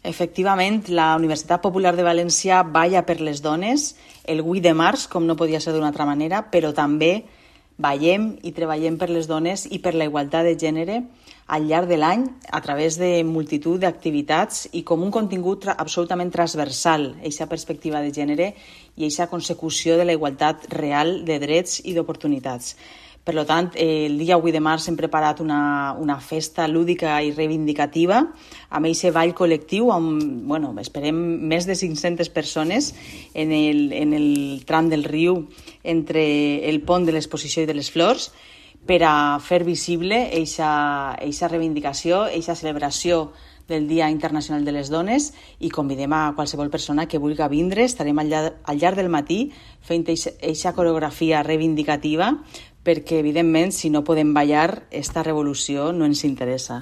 Efectivament, la Universitat Popular de València balla per les dones el 8 de març, com no podia ser d'una altra manera, però també ballem i treballem per les dones i per la igualtat de gènere al llarg de l'any a través de multitud d'activitats i com un contingut absolutament transversal, aquesta perspectiva de gènere i aquesta consecució de la igualtat real de drets i d'oportunitats. Per tant, el dia 8 de març hem preparat una festa lúdica i reivindicativa amb aquest ball col·lectiu amb, esperem més de 500 persones en el tram del riu entre el pont de l'exposició i de les flors per a fer visible aquesta reivindicació, aquesta celebració del Dia Internacional de les Dones i convidem a qualsevol persona que vulgui vindre. Estarem al llarg del matí fent aquesta coreografia reivindicativa perquè, evidentment, si no podem ballar, esta revolució no ens interessa.